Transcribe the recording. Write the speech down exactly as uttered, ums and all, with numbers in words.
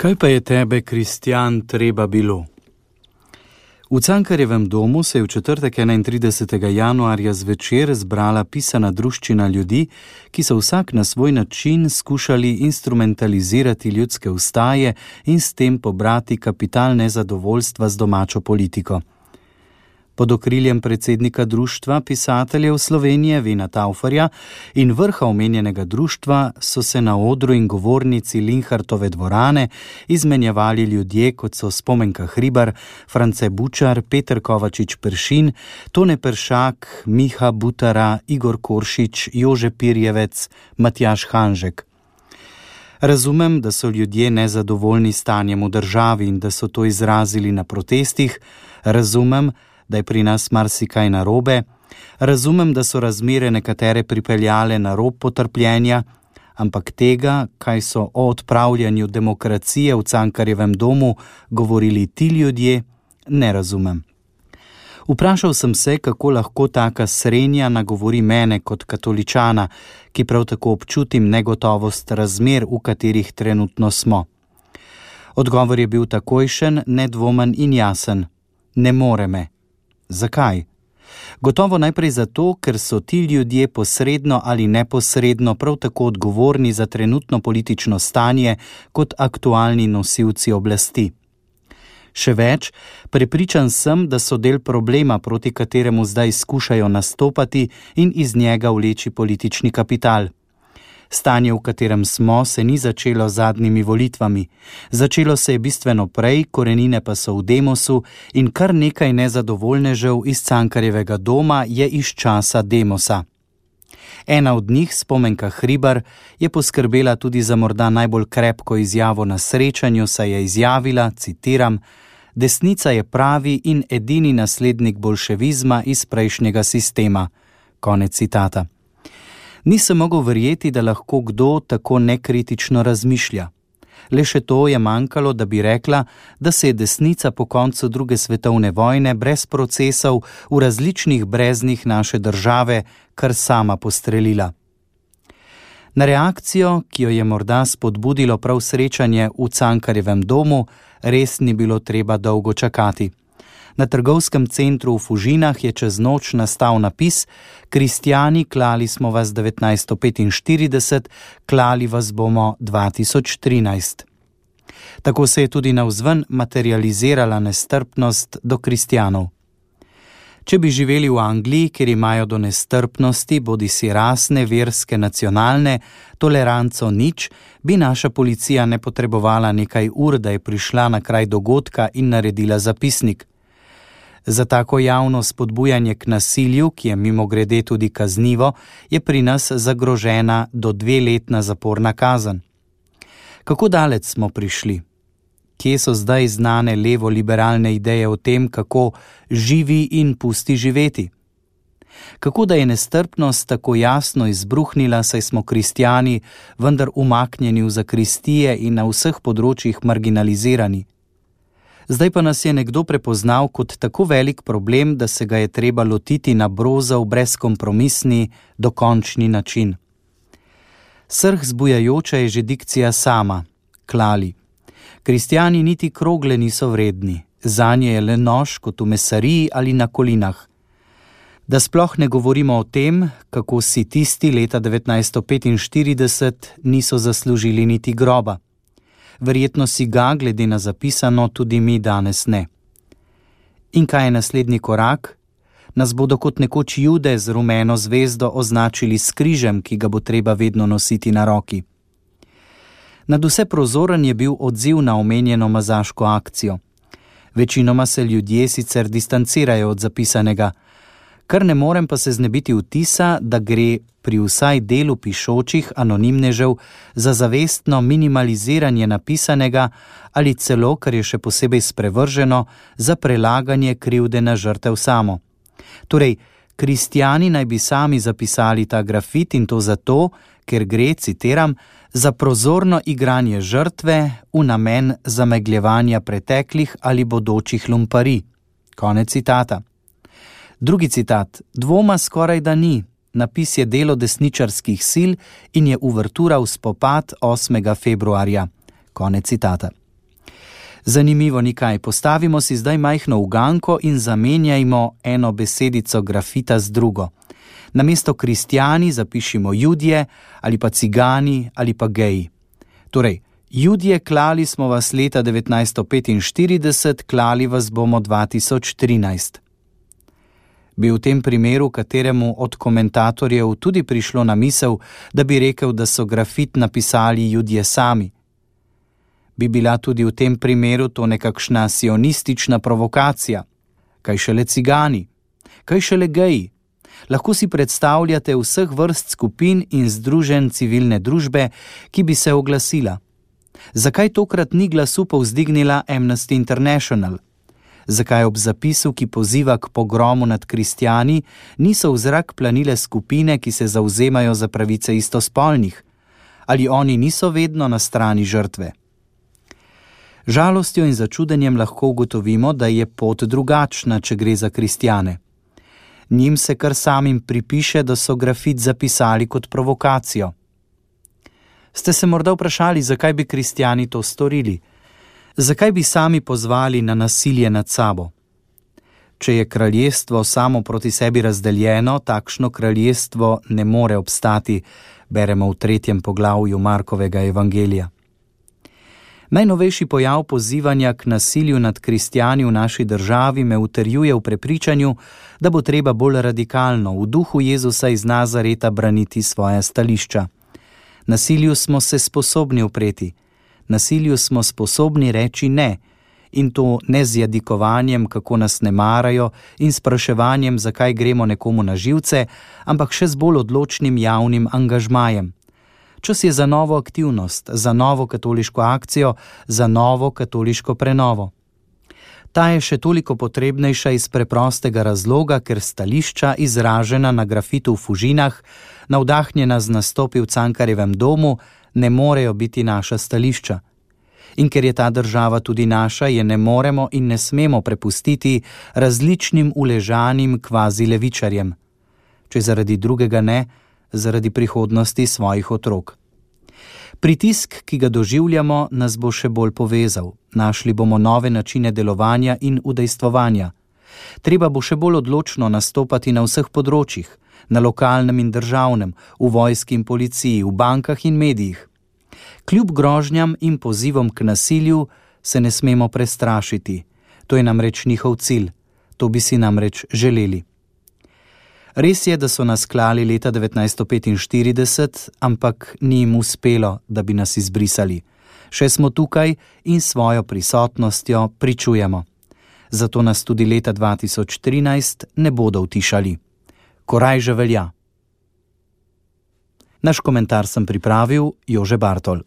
Kaj pa je tebe, Kristjan, treba bilo? V Cankarjevem domu se je v četrtek enaintridesetega januarja zvečer zbrala pisana druščina ljudi, ki so vsak na svoj način skušali instrumentalizirati ljudske ustaje in s tem pobrati kapital nezadovoljstva z domačo politiko. Pod okriljem predsednika društva pisateljev Slovenije Vina Tauferja in vrha omenjenega društva so se na odru in govornici Linhartove dvorane izmenjevali ljudje, kot so Spomenka Hribar, France Bučar, Peter Kovačič Peršin, Tone Peršak, Miha Butara, Igor Koršič, Jože Pirjevec, Matjaž Hanžek. Razumem, da so ljudje nezadovoljni stanjem v državi in da so to izrazili na protestih, razumem, da je pri nas marsikaj narobe, razumem, da so razmere nekatere pripeljale na rob potrpljenja, ampak tega, kaj so o odpravljanju demokracije v Cankarjevem domu govorili ti ljudje, ne razumem. Vprašal sem se, kako lahko taka srenja nagovori mene kot katoličana, ki prav tako občutim negotovost razmer, v katerih trenutno smo. Odgovor je bil takojšen, nedvomen in jasen. Ne more me. Zakaj? Gotovo najprej zato, ker so ti ljudje posredno ali neposredno prav tako odgovorni za trenutno politično stanje kot aktualni nosilci oblasti. Še več, prepričan sem, da so del problema, proti kateremu zdaj skušajo nastopati in iz njega vleči politični kapital. Stanje, v katerem smo, se ni začelo z zadnjimi volitvami. Začelo se je bistveno prej, korenine pa so v Demosu in kar nekaj nezadovoljnežev iz Cankarjevega doma je iz časa Demosa. Ena od njih, Spomenka Hribar, je poskrbela tudi za morda najbolj krepko izjavo na srečanju, saj je izjavila, citiram, desnica je pravi in edini naslednik bolševizma iz prejšnjega sistema. Konec citata. Nisem mogel verjeti, da lahko kdo tako nekritično razmišlja. Le še to je manjkalo, da bi rekla, da se je desnica po koncu druge svetovne vojne brez procesov v različnih breznih naše države kar sama postrelila. Na reakcijo, ki jo je morda spodbudilo prav srečanje v Cankarjevem domu, res ni bilo treba dolgo čakati. Na trgovskem centru v Fužinah je čez noč nastal napis: Kristjani, klali smo vas devetnajststo petinštirideset, klali vas bomo dva tisoč trinajst. Tako se je tudi navzven materializirala nestrpnost do kristjanov. Če bi živeli v Angliji, kjer imajo do nestrpnosti, bodisi rasne, verske, nacionalne, toleranco nič, bi naša policija ne potrebovala nekaj ur, da je prišla na kraj dogodka in naredila zapisnik. Za tako javno spodbujanje k nasilju, ki je mimogrede tudi kaznivo, je pri nas zagrožena do dveletna zaporna kazen. Kako daleč smo prišli? Kje so zdaj znane levo-liberalne ideje o tem, kako živi in pusti živeti? Kako da je nestrpnost tako jasno izbruhnila, saj smo kristjani, vendar umaknjeni v zakristije in na vseh področjih marginalizirani? Zdaj pa nas je nekdo prepoznal kot tako velik problem, da se ga je treba lotiti na brozov, brezkompromisni, dokončni način. Srh zbujajoča je že dikcija sama, klali. Kristjani niti krogle niso vredni, zanje je le nož kot v mesariji ali na kolinah. Da sploh ne govorimo o tem, kako si tisti leta devetnajststo petinštirideset niso zaslužili niti groba. Verjetno si ga, glede na zapisano, tudi mi danes ne. In kaj je naslednji korak? Nas bodo kot nekoč Jude z rumeno zvezdo označili s križem, ki ga bo treba vedno nositi na roki. Nadvse prozoren je bil odziv na omenjeno mazaško akcijo. Večinoma se ljudje sicer distancirajo od zapisanega, kar ne morem pa se znebiti vtisa, da gre pri vsaj delu pišočih anonimnežev za zavestno minimaliziranje napisanega ali celo, kar je še posebej sprevrženo, za prelaganje krivde na žrtev samo. Torej, kristjani naj bi sami zapisali ta grafit in to zato, ker gre, citiram, za prozorno igranje žrtve v namen zamegljevanja preteklih ali bodočih lumparij. Konec citata. Drugi citat. Dvoma skoraj da ni. Napis je delo desničarskih sil in je uvertura v spopad osmega februarja. Konec citata. Zanimivo nikaj, postavimo si zdaj majhno uganko in zamenjajmo eno besedico grafita z drugo. Namesto kristjani zapišimo Judje ali pa cigani ali pa geji. Torej, Judje, klali smo vas leta devetnajststo petinštirideset, klali vas bomo dva tisoč trinajst. Bi v tem primeru kateremu od komentatorjev tudi prišlo na misel, da bi rekel, da so grafit napisali Judje sami? Bi bila tudi v tem primeru to nekakšna sionistična provokacija? Kaj šele cigani? Kaj šele geji? Lahko si predstavljate vseh vrst skupin in združenj civilne družbe, ki bi se oglasila. Zakaj tokrat ni glasu povzdignila Amnesty International? Zakaj ob zapisu, ki poziva k pogromu nad kristjani, niso v zrak planile skupine, ki se zavzemajo za pravice istospolnih? Ali oni niso vedno na strani žrtve? Žalostjo in začudenjem lahko ugotovimo, da je pot drugačna, če gre za kristjane. Njim se kar samim pripiše, da so grafit zapisali kot provokacijo. Ste se morda vprašali, zakaj bi kristjani to storili? Zakaj bi sami pozvali na nasilje nad sabo? Če je kraljestvo samo proti sebi razdeljeno, takšno kraljestvo ne more obstati, beremo v tretjem poglavju Markovega evangelija. Najnovejši pojav pozivanja k nasilju nad kristjani v naši državi me utrjuje v prepričanju, da bo treba bolj radikalno v duhu Jezusa iz Nazareta braniti svoja stališča. Nasilju smo se sposobni upreti, nasilju smo sposobni reči ne, in to ne z jadikovanjem, kako nas ne marajo, in spraševanjem, zakaj gremo nekomu na živce, ampak še z bolj odločnim javnim angažmajem. Čas je za novo aktivnost, za novo katoliško akcijo, za novo katoliško prenovo. Ta je še toliko potrebnejša iz preprostega razloga, ker stališča, izražena na grafitu v Fužinah, navdahnjena z nastopi v Cankarjevem domu, ne morejo biti naša stališča. In ker je ta država tudi naša, je ne moremo in ne smemo prepustiti različnim uležanim kvazi levičarjem. Če zaradi drugega ne, zaradi prihodnosti svojih otrok. Pritisk, ki ga doživljamo, nas bo še bolj povezal. Našli bomo nove načine delovanja in udejstvovanja. Treba bo še bolj odločno nastopati na vseh področjih, na lokalnem in državnem, v vojski in policiji, v bankah in medijih. Kljub grožnjam in pozivom k nasilju se ne smemo prestrašiti. To je namreč njihov cilj. To bi si namreč želeli. Res je, da so nas klali leta devetnajststo petinštirideset, ampak ni jim uspelo, da bi nas izbrisali. Še smo tukaj in svojo prisotnostjo pričujemo. Zato nas tudi leta dva tisoč trinajst ne bodo utišali. Koraj že velja. Naš komentar sem pripravil Jože Bartol.